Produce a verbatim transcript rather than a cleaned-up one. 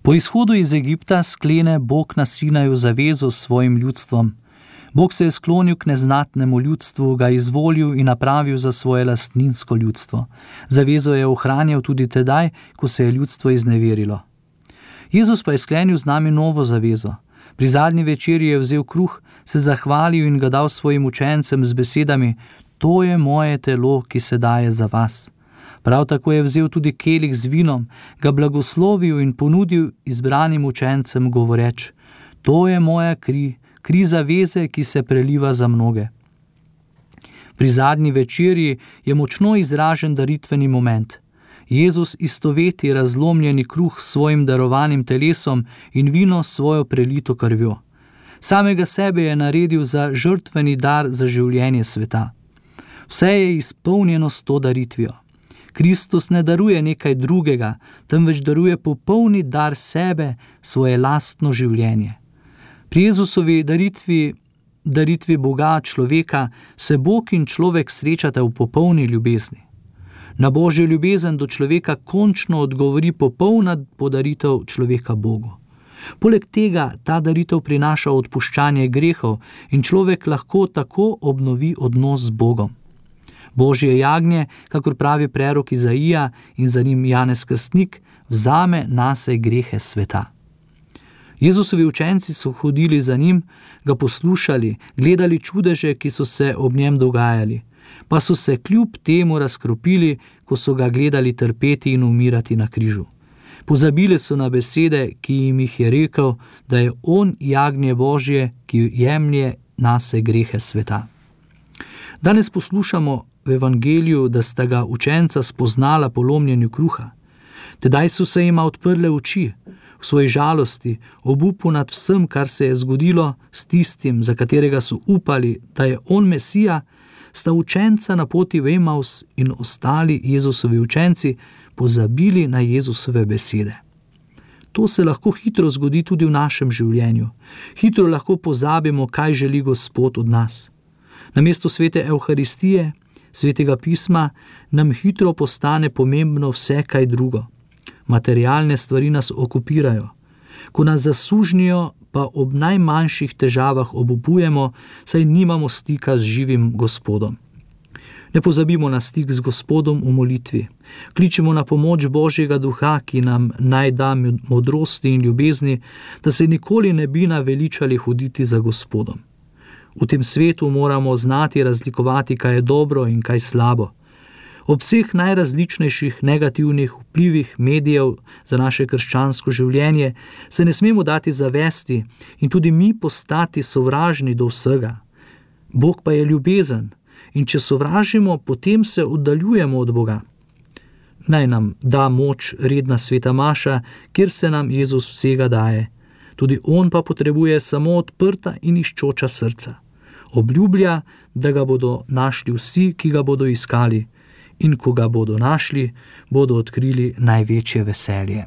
Po izhodu iz Egipta sklene Bog na Sinaju zavezo s svojim ljudstvom. Bog se je sklonil k neznatnemu ljudstvu, ga izvolil in napravil za svoje lastninsko ljudstvo. Zavezo je ohranjal tudi tedaj, ko se je ljudstvo izneverilo. Jezus pa je sklenil z nami novo zavezo. Pri zadnji večerji je vzel kruh, se zahvalil in ga dal svojim učencem z besedami: to je moje telo, ki se daje za vas. Prav tako je vzel tudi kelih z vinom, ga blagoslovil in ponudil izbranim učencem, govoreč: to je moja kri, kri zaveze, ki se preliva za mnoge. Pri zadnji večerji je močno izražen daritveni moment. Jezus istoveti razlomljeni kruh s svojim darovanim telesom in vino s svojo prelito krvjo. Samega sebe je naredil za žrtveni dar za življenje sveta. Vse je izpolnjeno s to daritvijo. Kristus ne daruje nekaj drugega, temveč daruje popolni dar sebe, svoje lastno življenje. Pri Jezusovi daritvi, daritvi Boga človeka, se Bog in človek srečata v popolni ljubezni. Na Božjo ljubezen do človeka končno odgovori popolna podaritev človeka Bogu. Poleg tega ta daritev prinaša odpuščanje grehov in človek lahko tako obnovi odnos z Bogom. Božje jagnje, kakor pravi prerok Izaija in za njim Janez Krstnik, vzame nase grehe sveta. Jezusovi učenci so hodili za njim, ga poslušali, gledali čudeže, ki so se ob njem dogajali, pa so se kljub temu razkropili, ko so ga gledali trpeti in umirati na križu. Pozabili so na besede, ki jim jih je rekel, da je on jagnje Božje, ki jemlje nase grehe sveta. Danes poslušamo v evangeliju, da sta ga učenca spoznala po lomljenju kruha. Tedaj so se jima odprle oči, v svoji žalosti, obupu nad vsem, kar se je zgodilo s tistim, za katerega so upali, da je on Mesija, sta učenca na poti v Emaus in ostali Jezusovi učenci pozabili na Jezusove besede. To se lahko hitro zgodi tudi v našem življenju. Hitro lahko pozabimo, kaj želi Gospod od nas. Namesto svete Evharistije, svetega pisma, nam hitro postane pomembno vse kaj drugo. Materialne stvari nas okupirajo. Ko nas zasužnijo, pa ob najmanjših težavah obupujemo, saj nimamo stika z živim Gospodom. Ne pozabimo na stik z Gospodom v molitvi. Kličemo na pomoč Božjega duha, ki nam naj da modrosti in ljubezni, da se nikoli ne bi naveličali hoditi za Gospodom. V tem svetu moramo znati razlikovati, kaj je dobro in kaj slabo. Ob vseh najrazličnejših negativnih vplivih medijev za naše krščansko življenje se ne smemo dati zavesti in tudi mi postati sovražni do vsega. Bog pa je ljubezen in če sovražimo, potem se oddaljujemo od Boga. Naj nam da moč redna sveta maša, kjer se nam Jezus vsega daje. Tudi on pa potrebuje samo odprta in iščoča srca. Obljublja, da ga bodo našli vsi, ki ga bodo iskali, in ko ga bodo našli, bodo odkrili največje veselje.